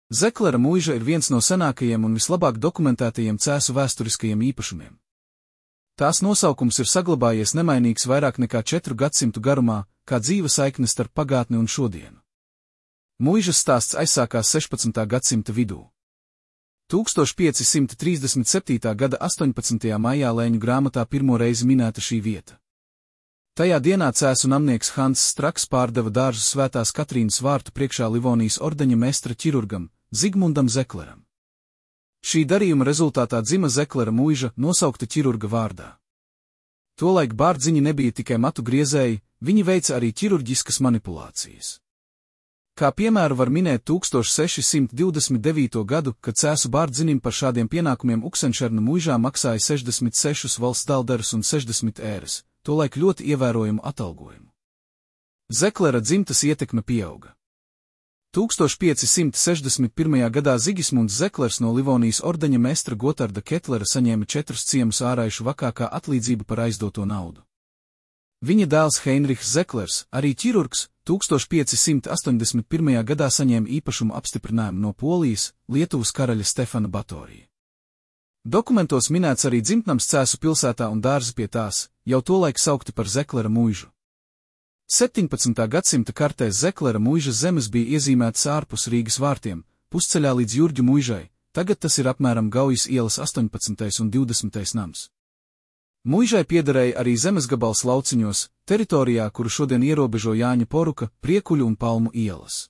Zeklera muiža ir viens no senākajiem un vislabāk dokumentētajiem Cēsu vēsturiskajiem īpašumiem. Tās nosaukums ir saglabājies nemainīgs vairāk nekā 4 gadsimtu garumā, kā dzīva saikne starp pagātni un šodienu. Muižas stāsts aizsākās 16. gadsimta vidū. 1537. gada 18. maijā Lēņu grāmatā pirmo reizi minēta šī vieta. Tajā dienā Cēsu namnieks Hans Straks pārdeva dārzu Svētās Katrīnas vārtu priekšā Livonijas ordeņa mestra ķirurgam, Zigmundam Zekleram. Šī darījuma rezultātā dzima Zeklera muiža, nosaukta ķirurga vārdā. Tolaik bārdziņi nebija tikai matu griezēji, viņi veica arī ķirurģiskas manipulācijas. Kā piemēru var minēt 1629. gadu, kad Cēsu bārdzinim par šādiem pienākumiem Uksenšerna muižā maksāja 66 valsts daldarus un 60 ēras, tolaik ļoti ievērojumu atalgojumu. Zeklera dzimtas ietekme pieauga. 1561. gadā Zigismunds Zeklers no Livonijas ordeņa mestra Gotarda Ketlera saņēma 4 ciemus āraišu vakā kā atlīdzību par aizdoto naudu. Viņa dēls Heinrichs Zeklers, arī ķirurgs, 1581. gadā saņēma īpašumu apstiprinājumu no Polijas, Lietuvas karaļa Stefana Batorija. Dokumentos minēts arī dzimtnams Cēsu pilsētā un dārzi pie tās, jau tolaik saukti par Zeklera muižu. 17. gadsimta kartēs Zeklera muižas zemes bija iezīmētas ārpus Rīgas vārtiem, pusceļā līdz Jurģu muižai, tagad tas ir apmēram Gaujas ielas 18. un 20. nams. Muižai piederēja arī zemes gabals lauciņos, teritorijā, kuru šodien ierobežo Jāņa Poruka, Priekuļu un Palmu ielas.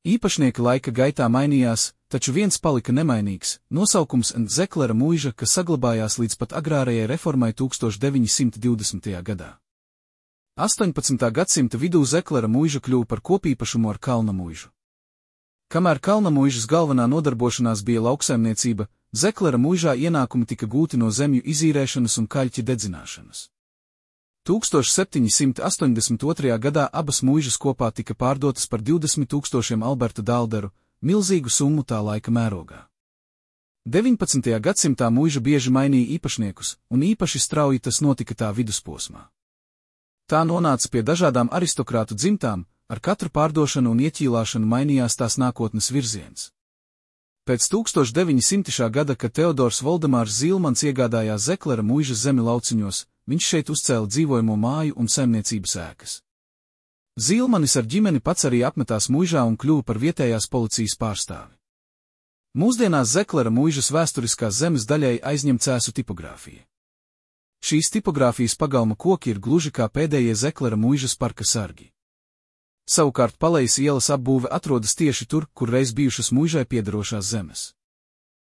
Īpašnieki laika gaitā mainījās, taču viens palika nemainīgs - nosaukums Zeklera muiža, kas saglabājās līdz pat agrārajai reformai 1920. gadā. 18. gadsimta vidū Zeklera muiža kļuva par kopīpašumu ar Kalna muižu. Kamēr Kalna muižas galvenā nodarbošanās bija lauksaimniecība, Zeklera muižā ienākumi tika gūti no zemju izīrēšanas un kaļķa dedzināšanas. 1782. gadā abas muižas kopā tika pārdotas par 20 000 Alberta daldaru, milzīgu summu tā laika mērogā. 19. gadsimtā muiža bieži mainīja īpašniekus, un īpaši strauji tas notika tā vidusposmā. Tā nonāca pie dažādām aristokrātu dzimtām, ar katru pārdošanu un ieķīlāšanu mainījās tās nākotnes virziens. Pēc 1900. gada, kad Teodors Voldemārs Zilmans iegādājās Zeklera muižas zemi lauciņos, viņš šeit uzcēla dzīvojamo māju un saimniecības ēkas. Zilmanis ar ģimeni pats arī apmetās muižā un kļuva par vietējās policijas pārstāvi. Mūsdienās Zeklera muižas vēsturiskās zemes daļai aizņem Cēsu tipogrāfija. Šīs tipogrāfijas pagalma koki ir gluži kā pēdējie Zeklera muižas parka sargi. Savukārt Palejas ielas apbūve atrodas tieši tur, kur reiz bijušas muižai piederošās zemes.